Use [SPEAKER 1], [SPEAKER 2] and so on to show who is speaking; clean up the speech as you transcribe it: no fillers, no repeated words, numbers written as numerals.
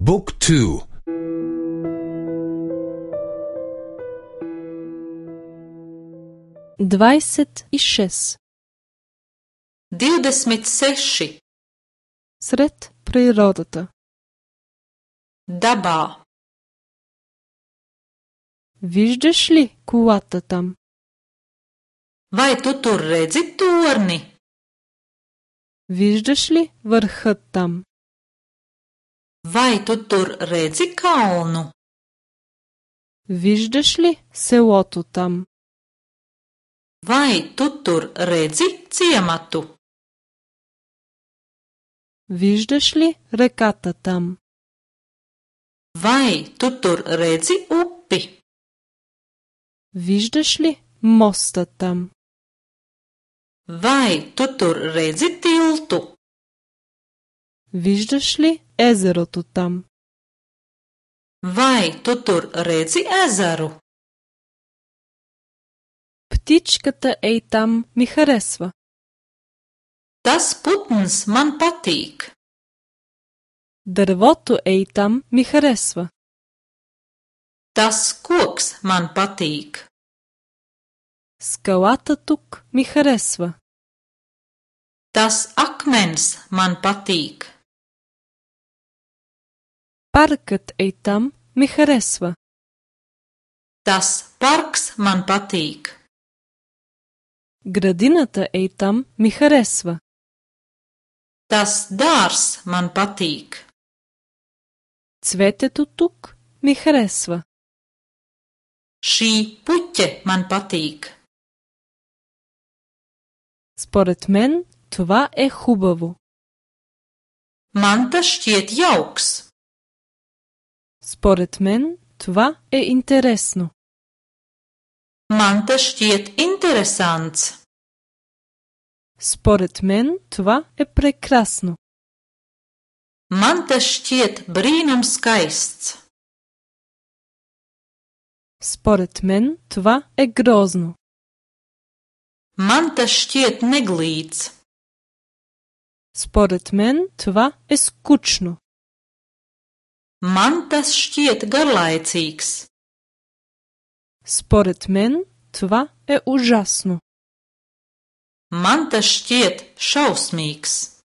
[SPEAKER 1] บุ๊กทู
[SPEAKER 2] 26.
[SPEAKER 3] Сред природата.
[SPEAKER 2] Dabā.
[SPEAKER 3] Виждаш ли колата там?
[SPEAKER 2] Vai tu tur redzi torni?
[SPEAKER 3] Виждаш ли върхът там?
[SPEAKER 2] Vai tu tur redzi kalnu?
[SPEAKER 3] Виждаш ли селото там?
[SPEAKER 2] Vai tu tur redzi ciematu?
[SPEAKER 3] Виждаш ли реката там?
[SPEAKER 2] Vai tu tur redzi upi?
[SPEAKER 3] Виждаш ли моста там?
[SPEAKER 2] Vai tu tur redzi tiltu?
[SPEAKER 3] Виждаш ли езерото там?
[SPEAKER 2] Vai tu tur redzi ezeru?
[SPEAKER 3] Птичката ей там ми харесва.
[SPEAKER 2] Tas putns man patīk.
[SPEAKER 3] Дървото ей там ми харесва.
[SPEAKER 2] Tas koks man patīk.
[SPEAKER 3] Скалата тук ми харесва.
[SPEAKER 2] Tas akmens man patīk.
[SPEAKER 3] Паркът ей там ми харесва.
[SPEAKER 2] Tas parks man patīk.
[SPEAKER 3] Градината ей там ми харесва.
[SPEAKER 2] Tas dārs man patīk.
[SPEAKER 3] Цветето тук ми харесва.
[SPEAKER 2] Šī puķe man patīk.
[SPEAKER 3] Според мен това е хубаво.
[SPEAKER 2] Man tas šķiet jauks.
[SPEAKER 3] Според мен това е интересно.
[SPEAKER 2] Man tas šķiet interesants.
[SPEAKER 3] Според мен това е прекрасно.
[SPEAKER 2] Man tas šķiet brīnum skaists.
[SPEAKER 3] Според мен това е грозно.
[SPEAKER 2] Man tas šķiet neglīts.
[SPEAKER 3] Според мен това е скучно.
[SPEAKER 2] Man tas šķiet garlaicīgs.
[SPEAKER 3] Според мен това е ужасно.
[SPEAKER 2] Man tas šķiet šausmīgs.